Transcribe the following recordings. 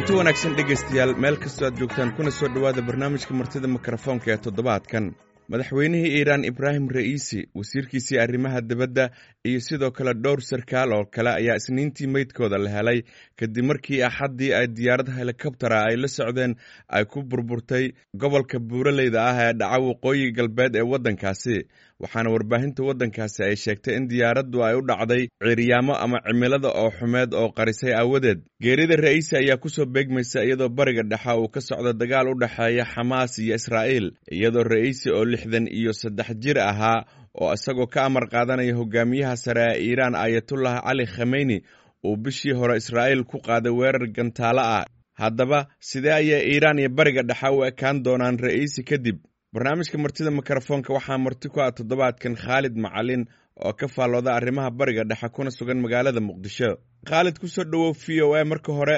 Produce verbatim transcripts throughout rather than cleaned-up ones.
Kulanti wanaagsan, dhegaystayaal, meel kastoo aad joogtaan, kuna soo dhowaada barnaamijka Martida Mikrofoonka ee toddobaadkan. Madaxweynihii Iiraan Ibraahim Ra'iisi, wasiirkiisii arrimaha dibadda iyo sidoo kale dhowr sarkaal oo kale ayaa Isniintii meydkooda la helay, kadib markii Axaddii ay diyaarad helikobtera ay la socdeen ay ku burburtay gobolka buuraleyda ah ee dhaca waqooyi galbeed ee waddankaasi. Waxaana warbaahinta waddankaasi ay sheegtay in diyaaraddu ay u dhacday ciiryaamo ama cimilada oo xumeed oo qarisay aawadeed. Geerida Ra'iisi ayaa kusoo beegmaysa iyadoo Bariga Dhexe uu ka socdo dagaal u dhexeeya Xamaas iyo Israa'iil, iyadoo Ra'iisi oo lixdan iyo saddex jir ahaa oo isagoo ka amar qaadanaya hogaamiyaha sare ee Iiraan Ayatullah Cali Khameyni uu bishii hore Israa'iil ku qaaday weerar gantaalo ah. Haddaba, sidee ayay Iiraan iyo Bariga Dhexe u ekaan doonaan Ra'iisi kadib? Barnaamijka Martida Mikrofoonka waxaa marti ku ah toddobaadkan Khaalid Macalin oo ka faallooda arrimaha Bariga Dhexe kuna sugan magaalada Muqdisho. Khaalid, kusoo dhowow V O A. Marka hore,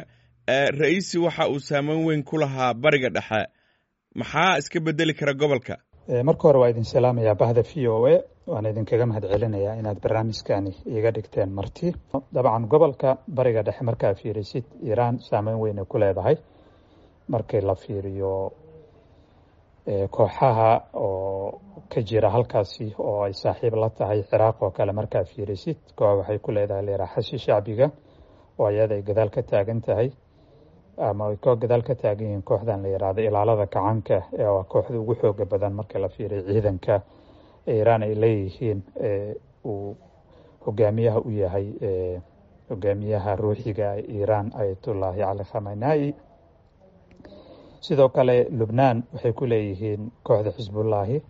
Ra'iisi waxa uu saameyn weyn ku lahaa Bariga Dhexe. Maxaa iska bedeli kara gobolka? Marka hore waa idin salaamayaa, bahda V O A. Waan idinkaga mahad celinayaa inaad barnaamijkani iiga dhigteen marti. Dabcan, gobolka Bariga Dhexe markaa fiirisid, Iiraan saameyn weyn ay ku leedahay markii la fiiriyo kooxaha oo ka jira halkaasi oo ay saaxiib la tahay. Ciraaq oo kale markaa fiirisid, koox waxay ku leedahay leeraa Xashi Shacbiga oo iyada ay gadaal ka taagan tahay ama ay ko gadaal ka taagan yihiin kooxdan la yihahdo Ilaalada Kacaanka, ee waa kooxda ugu xooga badan marka la fiiriyo ciidanka Iiraan ay leeyihiin, uu hogaamiyaha u yahay hogaamiyaha ruuxiga Iiraan Ayatullaahi Cali Khamenei. Sidoo kale Lubnaan waxay ku leeyihiin kooxda Xisbullaahi.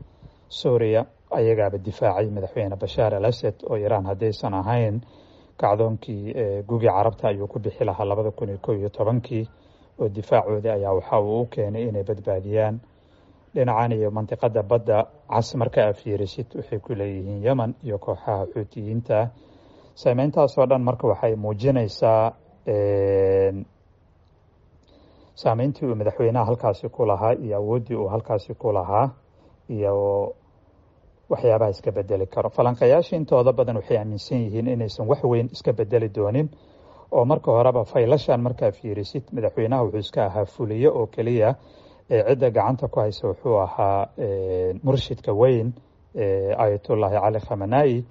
Suuriya ayagaaba difaacay madaxweyne Bashaar al Asad, oo Iiraan haddaysan ahayn kacdoonkii Gugi Carabta ayuu ku bixi lahaa labada kun iyo kow iyo tobankii, oo difaacoodii ayaa waxa uu u keenay inay badbaadiyaan. Dhinacan iyo mantiqada Badda Cas marka aa fiirisid, waxay ku leeyihiin Yemen iyo kooxaha Xuutiyiinta. Saameyntaasoo dhan marka waxay muujinaysaa saameyntii uu madaxweynaha halkaasi ku lahaa iyo awooddii uu halkaasi ku lahaa iyo waxyaabaha iska bedeli karo. Falanqayaasha intooda badan waxay aaminsan yihiin inaysan wax weyn iska bedeli doonin, oo marka horeba faylashan markaa fiirisid, madaxweynaha wuxuu iska ahaa fuliye oo keliya, ee cidda gacanta ku haysa wuxuu ahaa murshidka weyn, Ayatullaahi Cali Khamenei.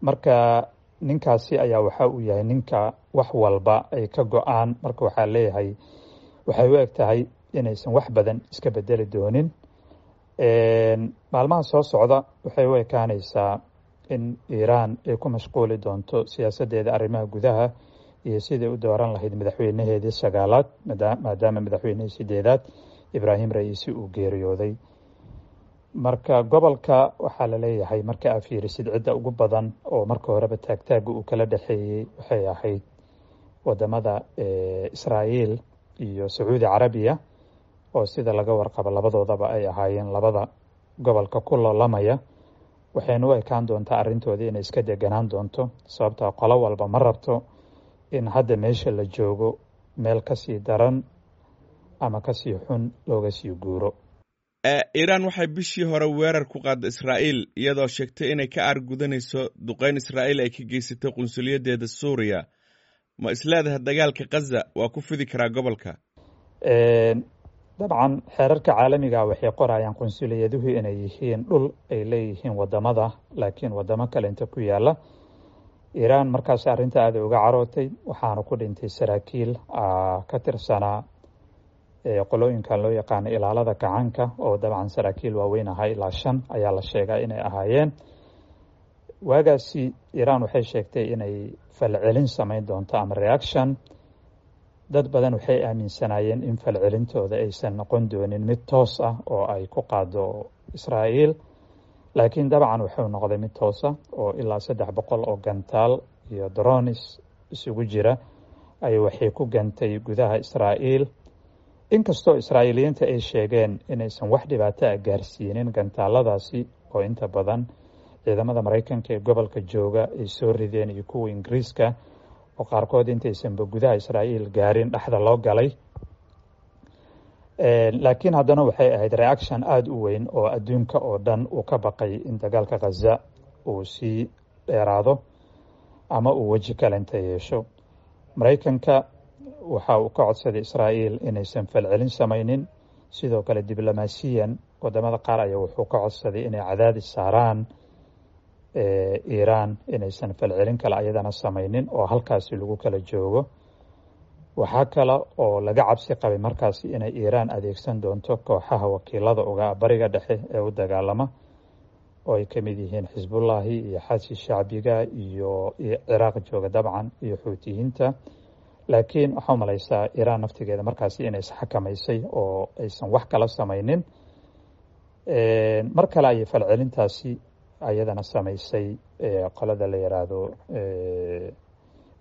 Marka ninkaasi ayaa waxa uu yahay ninka wax walba ay ka go-aan. Marka waxaa leeyahay waxay u eg tahay inaysan wax badan iska bedeli doonin. Maalmaha soo socda waxay u ekaanaysaa in Iiraan ay ku mashquuli doonto siyaasaddeeda arrimaha gudaha iyo sidai u dooran lahayd madaxweynaheedii sagaalaad, maadaama madaxweynihii sideedaad Ibraahim Ra'iisi uu geeriyooday. Marka gobolka waxaa la leeyahay, marka aa fiirisid, cidda ugu badan oo marka horeba taagtaaga uu kala dhexeeyey waxay ahayd wadamada Israa'iil iyo Sacuudi Carabiya, oo sida laga warqabo labadoodaba ay ahaayeen labada gobolka ku loolamaya. Waxayna u ekaan doontaa arrintoodii inay iska deganaan doonto, sababtaa qolo walba ma rabto in hadda meesha la joogo meel kasii daran ama kasii xun looga sii guuro. Iiraan waxay bishii hore weerar ku qaadday Israa'iil, iyadoo sheegtay inay ka aargudanayso duqeyn Israa'iil ay ka geysatay qunsuliyaddeeda Suuriya. Ma isleedahay dagaalka Khaza waa ku fidi karaa gobolka? Dabcan, xeerarka caalamiga waxay qorayaan qunsuliyaduhu inay yihiin dhul ay leeyihiin wadamada, laakiin wadamo kale inta ku yaala. Iiraan markaas arrinta aada uga carootay, waxaana ku dhintay saraakiil ka tirsanaa qolooyinkan loo yaqaano Ilaalada Kacaanka, oo dabcan saraakiil waaweyn ahaa, ilaa shan ayaa la sheegaa inay ahaayeen. Waagaasi Iiraan waxay sheegtay inay falcelin samayn doonto ama reaction. Dad badan waxay aaminsanaayeen in falcelintooda aysan noqon doonin mid toos ah oo ay ku qaado Israa'iil, laakiin dabcan wuxuu noqday mid toosa, oo ilaa saddex boqol oo gantaal iyo drones isugu jira ay waxay ku gantay gudaha Israa'iil, inkastoo Israa'iiliyiinta ay sheegeen inaysan wax dhibaato ah gaarsiinin gantaaladaasi, oo inta badan ciidamada Maraykanka ee gobolka jooga ay soo rideen iyo kuwa Ingiriiska, oo qaarkood intaysanba gudaha Israa'iil gaarin dhexda loo galay. Laakiin haddana waxay ahayd reaction aada u weyn oo adduunka oo dhan uu ka baqay in dagaalka Khaza uu sii dheeraado ama uu weji kalenta yeesho. Maraykanka Waxa uu ka codsaday Israa'iil inaysan falcelin samaynin. Sidoo kale diblomaasiyan wadamada qaar ayaa wuxuu ka codsaday inay cadaadis saaraan Iiraan inaysan falcelin kale ayadana samaynin oo halkaasi lagu kala joogo. Waxaa kale oo laga cabsi qabay markaasi inay Iiraan adeegsan doonto kooxaha wakiilada uga Bariga Dhexe ee u dagaalama, oo ay ka mid yihiin Xisbullahi iyo Xashi Shacbiga iyo Ciraaq jooga dabcan iyo Xuutiyiinta. Laakiin waxaa u malaysaa Iiraan naftigeeda markaasi inay isxakamaysay oo aysan wax kala samaynin. Mar kale ayay falcelintaasi ayadana samaysay qolada la yiraahdo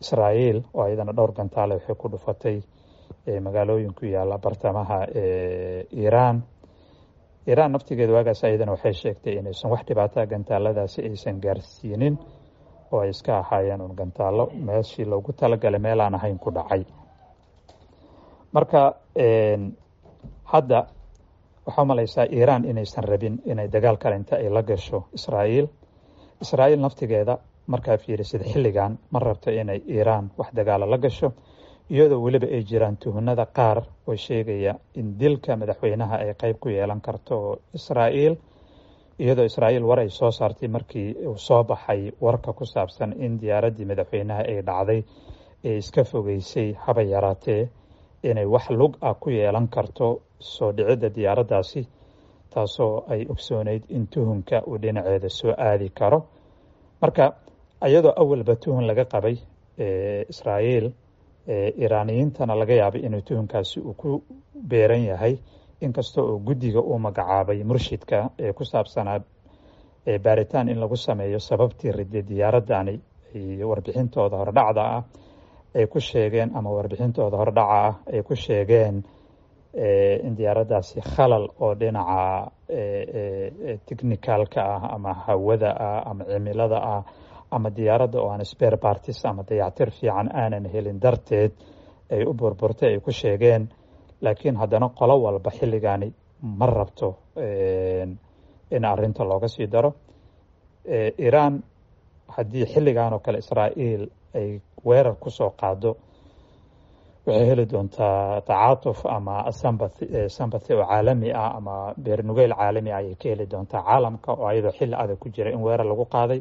Israa'iil, oo ayadana dhowr gantaale waxay ku dhufatay magaalooyin ku yaala bartamaha Iiraan. Iiraan naftigeeda waagaas ayadana waxay sheegtay inaysan wax dhibaataa gantaaladaasi aysan gaarsiinin, oo ay iska ahaayeen un gantaallo meeshii loogu talagalay meel aan ahayn ku dhacay. Marka hadda waxaa u malaysaa Iiraan inaysan rabin inay dagaal kale inta ay la gasho Israa'iil. Israa'iil naftigeeda markaa fiirisid xilligan ma rabto inay Iiraan wax dagaala la gasho, iyadoo weliba ay jiraan tuhunada qaar oo sheegaya in dilka madaxweynaha ay qayb ku yeelan karto Israa'iil, iyadoo Israa'iil war ay soo saartay markii uu soo baxay warka ku saabsan in diyaaraddii madaxweynaha ay dhacday ee iska fogeysay haba yaraatee inay wax lug ah ku yeelan karto soo dhicidda diyaaraddaasi, taasoo ay ogsooneyd in tuhunka uu dhinaceeda soo aadi karo. Marka iyadoo awalba tuhun laga qabay Israa'iil, Iiraaniyiintana laga yaabay inuu tuhunkaasi uu ku beeran yahay, inkasta oo guddiga uu magacaabay murshidka ee ku saabsanaa baaritaan in lagu sameeyo sababtii riday diyaaradani iyo warbixintooda hordhacda ah ay ku sheegeen ama warbixintooda hordhaca ah ay ku sheegeen in diyaaraddaasi khalal oo dhinaca technicalka ah ama hawada ah ama cimilada ah ama diyaaradda oo aan spare parts ama dayactir fiican aanan helin darteed ay u burburtay ay ku sheegeen. Laakiin haddana qolo walba xilligaani ma rabto in arrinta looga sii daro. Iiraan haddii xilligan oo kale Israa'iil ay weerar ku soo qaado, waxay heli doontaa tacaatuf ama sympathy sympathy oo caalami ah ama beernugeyl caalami ah ayay ka heli doontaa caalamka, oo ayadoo xilli adag ku jira in weerar lagu qaaday.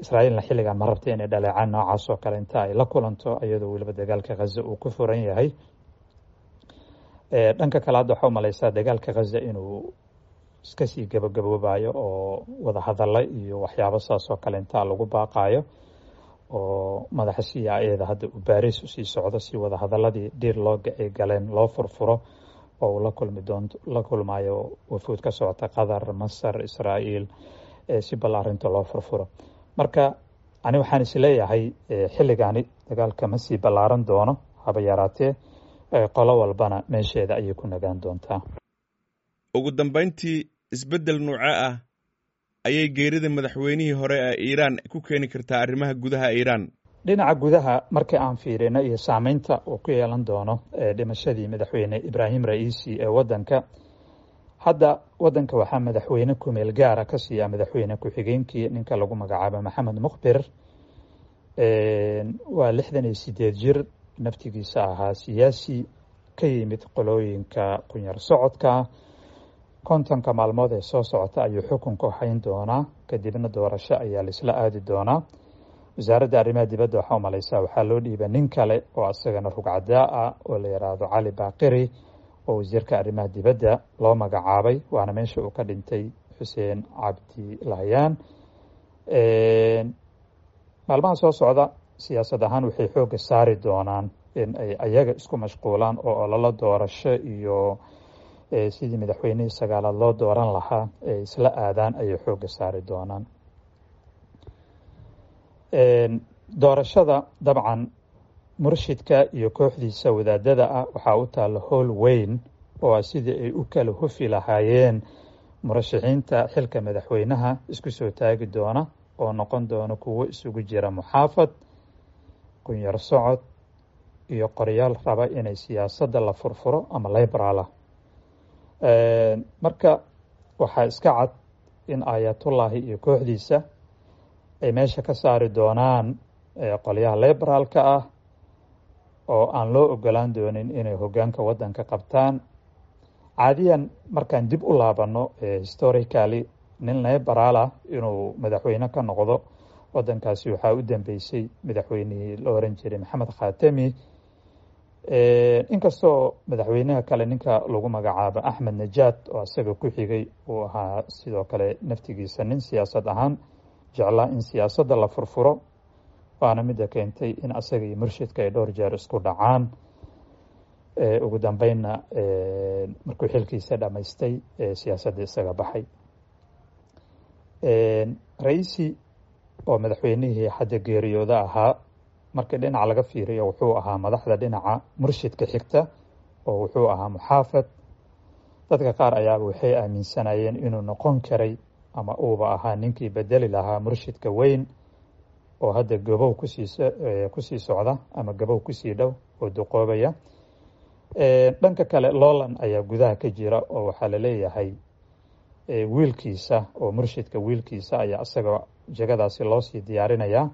Israa'iilna xilligan ma rabta inay dhaleecaan noocaas oo kale inta ay la kulanto, iyadoo weliba dagaalka Ghaza uu ku furan yahay. Dhanka kale hadda waxaa u malaysaa dagaalka Ghaza inuu iska sii gabagaboobayo oo wadahadalla iyo waxyaabo saas oo kale intaa lagu baaqayo, oo madaxa C I A da hadda uu Baris usii socdo si wadahadalladii dhiir looga ay galeen loo furfuro, oo uu la kulmi doonto la kulmayo wafuud ka socota Qatar, Masar, Israa'iil, si bal arrinta loo furfuro. Marka ani waxaan is leeyahay xilligani dagaalka ma sii ballaaran doono haba yaraatee, qolo walbana meesheeda ayay ku nagaan doontaa. Ugu dambayntii, isbeddel nuuce ah ayay geerida madaxweynihii hore ee Iiraan ku keeni kartaa arrimaha gudaha Iiraan? Dhinaca gudaha markii aan fiirino iyo saameynta uu ku yeelan doono dhimashadii madaxweyne Ibraahim Ra'iisi ee waddanka, hadda waddanka waxaa madaxweyne kumeel gaara ka siiya madaxweyne ku-xigeenkii, ninka lagu magacaabo Maxamed Mukhbir. Waa lixdan iyo sideed jir, naftigiisa ahaa siyaasi ka yimid qolooyinka qunyar socodka. Kontonka maalmood ee soo socota ayuu xukunka hayn doonaa, kadibna doorasho ayaa laisla aadi doonaa. Wasaaradda arrimaha dibadda waxaa umalaysaa waxaa loo dhiiba nin kale oo isagana rugcadaa ah oo la yidhaahdo Cali Baaqiri, oo wasiirka arrimaha dibadda loo magacaabay, waana meesha uu ka dhintay Xuseen Cabdi Lahyaan. Maalmaha soo socda siyaasad ahaan waxay xoogga saari doonaan in ay ayaga isku mashquulaan oo ololo doorasho iyo sidii madaxweynihii sagaalaad loo dooran lahaa ay isla aadaan ayay xoogga saari doonaan. Doorashada dabcan murshidka iyo kooxdiisa wadaadada ah waxaa u taalla howl weyn oo ah sidii ay u kala hufi lahaayeen murashaxiinta xilka madaxweynaha isku soo taagi doona, oo noqon doona kuwo isugu jira muxaafad, kunyar socod iyo qoryaal raba inay siyaasadda la furfuro ama liberaala. Marka waxaa iska cad in Aayatullaahi iyo kooxdiisa ay meesha ka saari doonaan qolyaha liberaalka ah. oo aan loo ogolaan doonin inay hoggaanka waddanka qabtaan. Caadiyan markaan dib u laabanno historically, nin liberaal ah inuu madaxweyne ka noqdo waddankaasi waxaa u dambeysay madaxweynihii la oran jiray Maxamed Khatami. Inkastoo madaxweynaha kale, ninka lagu magacaabo Axmed Najaad, oo isaga ku xigay, uu ahaa sidoo kale naftigiisa nin siyaasad ahaan jeclaa in siyaasadda la furfuro, waana midda keentay in asaga iyo murshidka ay dhowr jeer isku dhacaan. Ugu dambeynna markuu xilkiisa dhamaystay siyaasadda isaga baxay. Raisi oo madaxweynihii hadda geeriyooda ahaa, markii dhinac laga fiiriyo wuxuu ahaa madaxda dhinaca murshidka xigta oo wuxuu ahaa muxaafad. Dadka qaar ayaaba waxay aaminsanayeen inuu noqon karay ama uuba ahaa ninkii bedeli lahaa murshidka weyn oo hadda gabow kusii kusii socda ama gabow kusii dhow oo duqoobaya. Dhanka kale loolan ayaa gudaha ka jira oo waxaa laleeyahay wiilkiisa oo murshidka wiilkiisa ayaa isaga jagadaasi loo sii diyaarinayaa,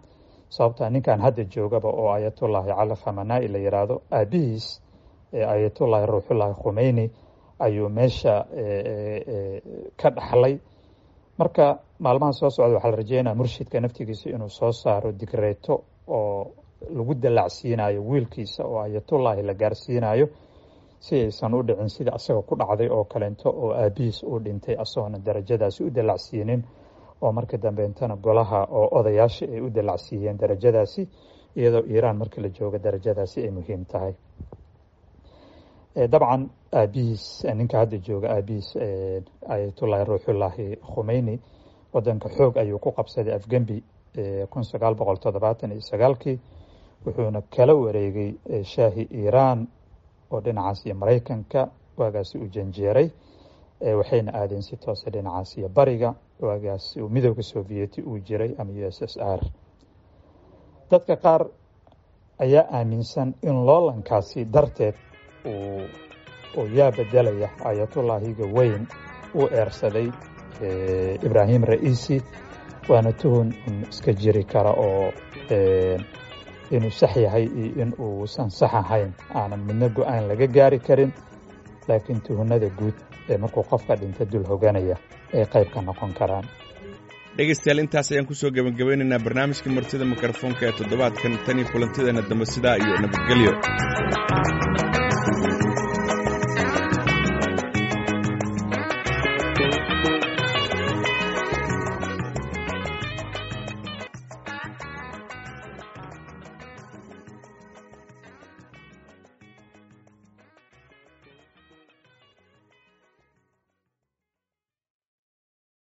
sababtaa ninkan hadda joogaba oo Ayatullaahi Cali Khamanai la yiraahdo, aabihiis Ayatullaahi Ruuxullaahi Khumeyni ayuu meesha ka dhaxlay. Marka maalmaha soo socda waxaa la rajeynaya murshidka naftigiisa inuu soo saaro digreeto oo lagu dallacsiinayo wiilkiisa oo Ayatullaahi la gaarsiinayo, si aysan u dhicin sida asaga ku dhacday oo kaleento oo aabihiis uu dhintay asagoona darajadaasi u dallacsiinin, oo markii dambeentana golaha oo odayaasha ay u dallacsiiyeen darajadaasi, iyadoo Iiraan markii la joogo darajadaasi ay muhiim tahay. Dabcan aabihiis, ninka hadda jooga aabihiis Ayatullaahi Ruuxullaahi Khumeyni, wadanka xoog ayuu ku qabsaday afgembi kun sagaal boqol toddobaatan iyo sagaalkii, wuxuuna kala wareegay shaahi Iiraan oo dhinacaas iyo Maraykanka waagaasi u janjeeray, waxayna aadeen si toosa dhinacaas iyo bariga, waagaas uu Midowga Sovieti uu jiray ama U S S R. Dadka qaar ayaa aaminsan in loolankaasi darteed uu oo yaa bedelaya Ayatullaahiga weyn uu eersaday Ibraahim Ra'iisi, waana tuhun un iska jiri kara oo inuu sax yahay iyo in uusan sax ahayn aanan midna go-aan laga gaari karin, laakiin tuhunada guud ee markuu qofka dhinta dul hoganaya ay qayb ka noqon karaan. Dhegaystayaal, intaas ayaan kusoo gebagabeynaynaa barnaamijka martida mikrofoonka ee toddobaadkan. Tan iyo kulantideena dambe, sidaa iyo nabadgelyo.